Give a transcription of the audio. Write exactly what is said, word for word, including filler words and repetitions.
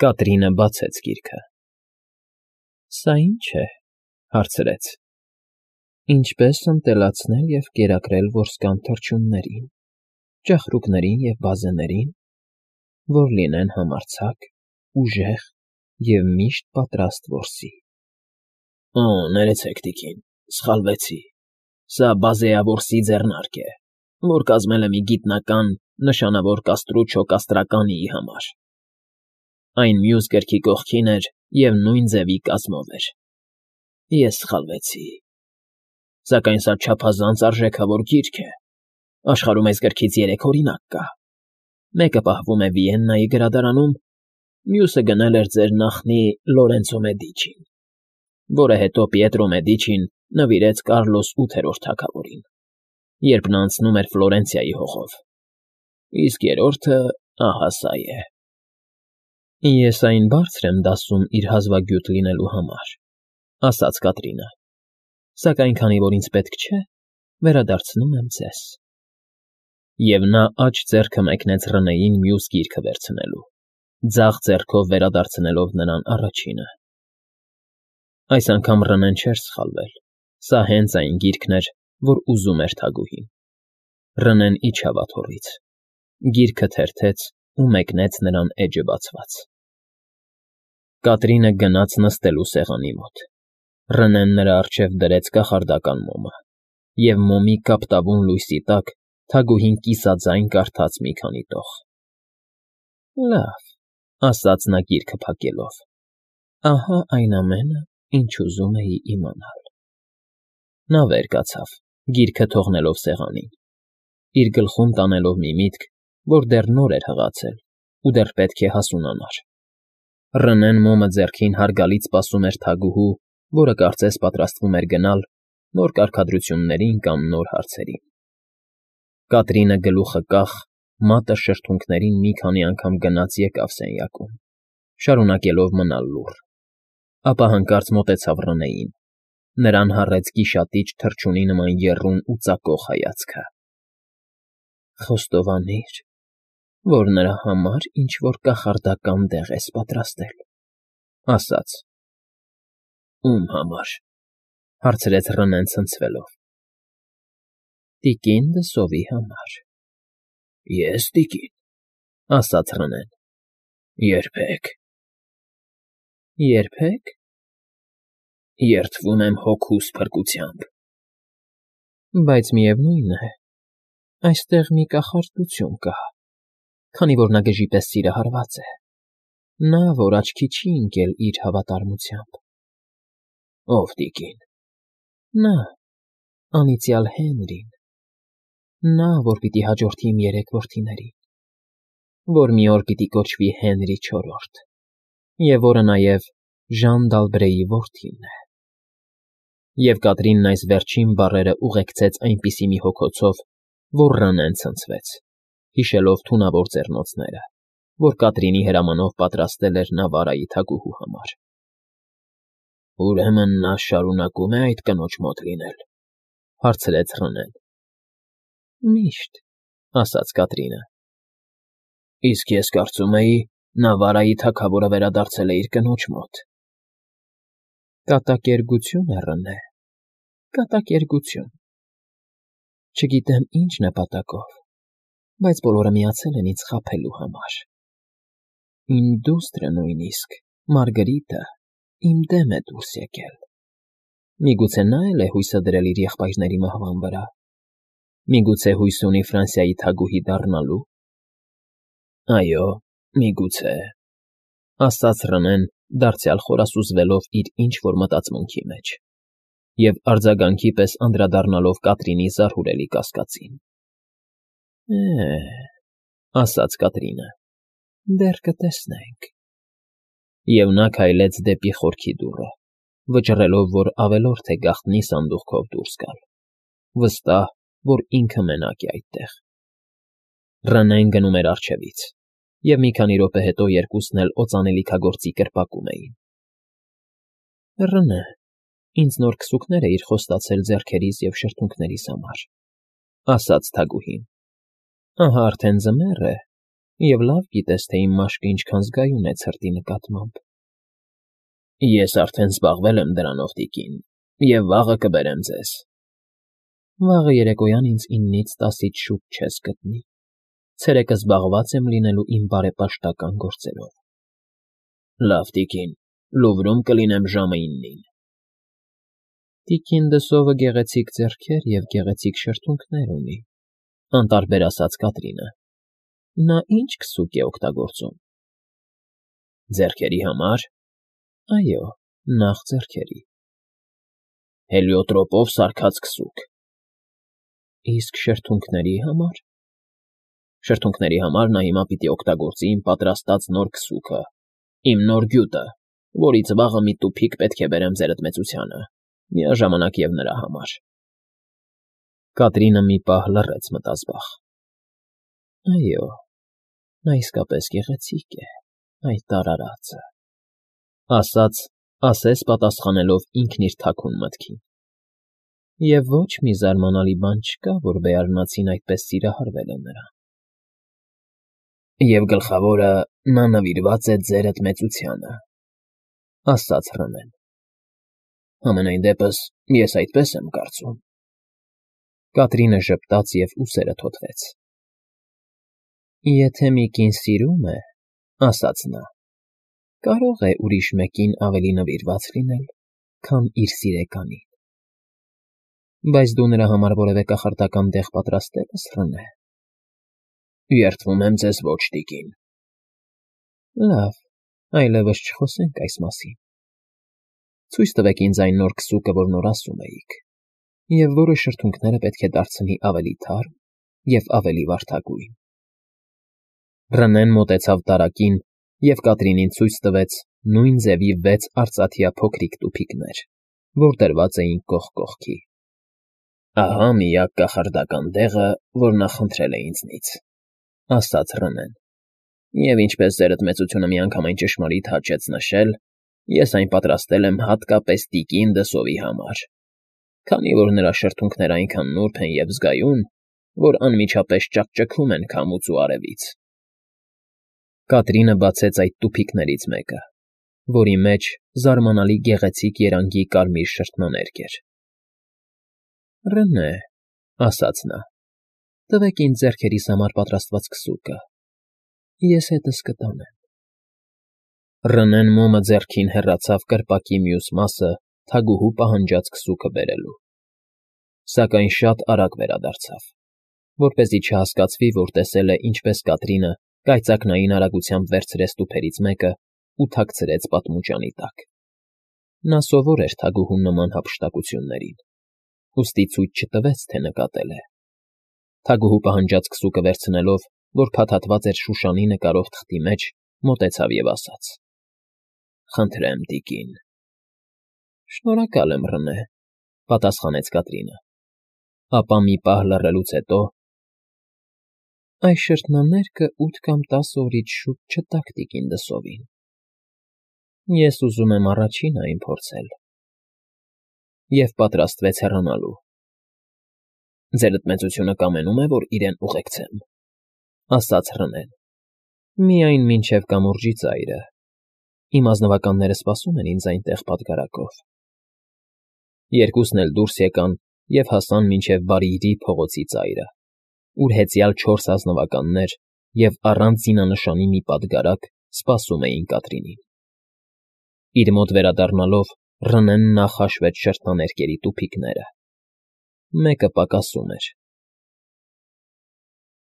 Կատրինը բացեց գիրքը։ ֊ Սա ի՞նչ է,֊ հարցրեց։ ֊ Ինչպես ընտելացնել և կերակրել որսկան թռչուններին, ճահռուկներին և բազեներին, որ լինեն համարձակ, ուժեղ և միշտ պատրաստ որսի։ ֊ Օ՜, ներեցեք, տիկին, սխալվեցի, սա բազեավորսի ձեռնարկ է, որ կազմել է մի գիտնական, նշանավոր կաստրուչո կաստրականիի համար. այն մյուս գրքի կողքին էր և նույն ձևի կազմով էր։ Ես սխալվեցի։ Սակայն սա չափազանց արժեքավոր գիրք է, աշխարհում այս գրքից երեք օրինակ կա. մեկը պահվում է Վիեննայի գրադարանում, մյուսը գնել էր ձեր նախնի Լորենցո Մեդիչին, որը հետո Պիետրո Մեդիչին նվիրեց Կարլոս ութերորդ թագավորին, երբ նա անցնում էր Ֆլորենցիայի հողով, իսկ երրորդը ահա սա է։ Ես այն բարձր եմ դասում իր հազվագյուտ լինելու համար,֊ ասաց Կատրինը,֊ սակայն քանի որ ինձ պետք չէ, վերադարձնում եմ ձեզ։ Եվ նա աջ ձեռքը մեկնեց Ռնեին մյուս գիրքը վերցնելու, ձախ ձեռքով վերադարձնելով նրան առաջինը։ Այս անգամ Ռնեն չէր սխալվել. սա հենց այն գիրքն էր, որ ուզում էր թագուհին։ Ռնեն իջավ աթոռից, գիրքը թերթեց ու մեկնեց նրան էջը բացված։ Կատրինը գնաց նստելու սեղանի մոտ։ Ռնեն նրա առջև դրեց կախարդական մոմը, և մոմի կապտավուն լույսի տակ թագուհին կիսաձայն կարդաց մի քանի տող։ ֊ Լավ,֊ ասաց նա գիրքը փակելով,֊ ահա այն ամենը, ինչ ուզում էի իմանալ։ Նա վեր կացավ, գիրքը թողնելով սեղանին, իր գլխում տանելով մի միտք, որ դեռ նոր էր հղացել ու դեռ պետք է հասունանար։ Ռնեն մոմը ձեռքին հարգալից սպասում էր թագուհու, որը կարծես պատրաստվում էր գնալ նոր կարգադրություններին կամ նոր հարցերին։ Կատրինը գլուխը կախ, մատը շրթունքներին մի քանի անգամ գնաց֊եկավ սենյակում, շարունակելով մնալ լուռ, ապա հանկարծ մոտեցավ Ռնեին, նրան հառեց գիշատիչ թռչունի նման եռուն ու ծակող հայացքը։ ֊ Խոստովանիր, որ նրա համար ինչ֊որ կախարդական դեղ ես պատրաստել,֊ ասաց։ ֊ Ո՞ւմ համար,֊ հարցրեց Ռնեն ցնցվելով։ ֊ Տիկին Դսովի համար։ ֊ Ե՞ս, տիկին,֊ ասաց Ռնեն,֊ երբեք։ ֊ Երբե՞ք։ ֊ Երդվում եմ հոգուս փրկությամբ։ ֊ Բայց միևնույն է, այստեղ մի կախարդություն կա, քանի որ նա գժի պես սիրահարված է, նա, որ աչքի չի ընկել իր հավատարմությամբ։ ֊ Ո՞վ, տիկին։ ֊ Նա, անիծյալ Հենրին, նա, որ պիտի հաջորդի իմ երեք որդիներին, որ մի օր պիտի կոչվի Հենրի չորրորդ, և որը նաև Ժան դ'Ալբրեի որդին է։ Եվ Կատրինն այս վերջին բառերը ուղեկցեց այնպիսի մի հոգոցով, որ Ռնեն ցնցվեց, հիշելով թունավոր ձեռնոցները, որ Կատրինի հրամանով պատրաստել էր Նավարայի թագուհու համար։ ֊ Ուրեմն նա շարունակո՞ւմ է այդ կնոջ մոտ լինել,֊ հարցրեց Ռնեն։ ֊ Միշտ,֊ ասաց Կատրինը։ ֊ Իսկ ես կարծում էի, Նավարայի թագավորը վերադարձել է իր կնոջ մոտ։ ֊ Կատակերգություն է, Ռնե, կատակերգություն… Չգիտեմ ինչ նպատակով, բայց բոլորը միացել են ինձ խաբելու համար… Իմ դուստրը նույնիսկ, Մարգրիտը, իմ դեմ է դուրս եկել… Միգուցե նա՞ էլ է հույսը դրել իր եղբայրների մահվան վրա… Միգուցե հույս ունի Ֆրանսիայի թագուհի դառնալու… Այո, միգուցե…֊ ասաց Ռնեն, դարձյալ խորասուզվելով իր ինչ֊որ մտածմունքի մեջ և արձագանքի պես անդրադառնալով Կատրինի զարհուրելի կասկածին։ ֊ Է՜, ասաց Կատրինը,֊ դեռ կտեսնենք… Եվ նա քայլեց դեպի խորքի դուռը, վճռելով, որ ավելորդ է գաղտնի սանդուղքով դուրս գալ, վստահ, որ ինքը մենակ է այդտեղ։ Ռնեն գնում էր առջևից, և մի քանի րոպե հետո երկուսն էլ օծանելիքագործի կրպակում էին։ ֊ Ռնե, ինձ նոր քսուկներ էիր խոստացել ձեռքերիս և շրթունքներիս համար,֊ ասաց թագուհին,֊ ահա արդեն ձմեռ է, Եվ լավ գիտես, թե իմ մաշկը ինչքան զգայուն է ցրտի նկատմամբ։ Ես արդեն զբաղվել եմ դրանով, տիկին, և վաղը կբերեմ ձեզ։ Վաղը երեկոյան ինձ իննից տասից շուտ չես գտնի։ Ցերեկը զբաղված եմ լինելու իմ բարեպաշտական գործերով։ Լավ, տիկին, Լուվրում կլինեմ ժամը իննին։ Տիկին Դսովը գեղեցիկ ձեռքեր և գեղեցիկ շրթունքներ ունի, անտարբեր ասաց Կատրինը։ Նա ի՞նչ քսուկ է օգտագործում։ Ձեռքերի համար։ Այո, նախ ձեռքերի։ Հելիոտրոպով սարքած քսուկ։ Իսկ շրթունքների համար։ Շրթունքների համար նա հիմա պիտի օգտագործի իմ պատրաստած նոր քսուկը, իմ նոր գյուտը, որից վաղը մի տուփիկ պետք է բերեմ ձերդ մեծությանը, միաժամանակ և նրա համար։ Կատրինը մի պահ լռեց մտազբաղ։ Այո, նա իսկապես գեղեցիկ է, այդ արարածը, ասաց, ասես պատասխանելով ինքն իր թաքուն մտքին։ Եվ ոչ մի զարմանալի բան չկա, որ բեարնացին այդպես սիրահարվել է նրան։ Եվ գլխավորը նա նվիրված է ձերդ մեծությանը, ասաց Ռնեն։ Համենայն դեպս, ես այդպես եմ կարծում։ Կատրինը ժպտաց և ուսերը թոթվեց։ Եթե մի կին սիրում է, ասաց նա, կարող է ուրիշ մեկին ավելի նվիրված լինել, քան իր սիրեկանին։ Բայց դու նրա համար որևէ կախարդական դեղ պատրաստել ես, Ռնե։ Երդվում եմ ձեզ, ոչ, տիկին։ Լավ, այլևս չխոսենք այս մասին։ Ցույց տվեք ինձ այն նոր քսուկը, որ նոր ասում էիք, և որը շրթունքները պետք է դարձնի ավելի թարմ և ավելի վարդագույն։ Ռնեն մոտեցավ տարակին և Կատրինին ցույց տվեց նույն ձևի վեց արծաթյա փոքրիկ տուփիկներ, որ դրված էին կողք կողքի։ Ահա միակ կախարդական դեղը, որ նա խնդրել է ինձնից, ասաց Ռնեն, և ինչպես ձերդ մեծությունը միանգամայն ճշմարիտ հաճեց նշել, ես այն պատրաստել եմ հատկապես տիկին Դսովի համար, քանի որ նրա շրթունքները այնքան նուրբ են և զգայուն, որ անմիջապես ճաքճքում են քամուց ու արևից։ Կատրինը բացեց այդ տուփիկներից մեկը, որի մեջ զարմանալի գեղեցիկ երանգի կարմիր շրթնաներկ էր։ Ռնե, ասաց նա, տվեք ինձ ձեռքերիս համար պատրաստված քսուկը, ես հետս կտանեմ։ Ռնեն մոմը ձեռքին հեռացավ կրպակի մյուս մասը թագուհու պահանջած քսուկը բերելու։ Սակայն շատ արագ վերադարձավ, որպեսզի չհասկացվի, որ տեսել է, ինչպես Կատրինը կայծակնային արագությամբ վերցրեց տուփերից մեկը ու թաքցրեց պատմուճանի տակ։ Նա սովոր էր թագուհու նման հափշտակություններին, ուստի ցույց չտվեց, թե նկատել է։ Թագուհու պահանջած քսուկը վերցնելով, որ փաթաթված էր շուշանի նկարով թղթի մեջ, մոտեցավ և ասաց. Խնդրեմ, տիկին։ Շնորհակալ եմ, Ռնե, պատասխանեց Կատրինը։ Ապա մի պահ լռելուց հետո. Այս շրթնաներկը ութ կամ տասը օրից շուտ չտաք տիկին Դսովին։ Ես ուզում եմ առաջինը այն փորձել։ Եվ պատրաստվեց հեռանալու։ Ձերդ մեծությունը կամենում է, որ իրեն ուղեկցեմ, ասաց Ռնեն։ Միայն մինչև կամուրջի ծայրը։ Իմ ազնվականները սպասում են ինձ այնտեղ պատգարակով։ Երկուսն էլ դուրս եկան և հասան մինչև Բարիիրի փողոցի ծայրը, ուր հեծյալ չորս ազնվականներ և առանց զինանշանի մի պատգարակ սպասում էին Կատրինին։ Իր մոտ վերադառնալով Ռնեն նախ հաշվեց շրթնաներկերի տուփիկները։ Մեկը պակասում էր,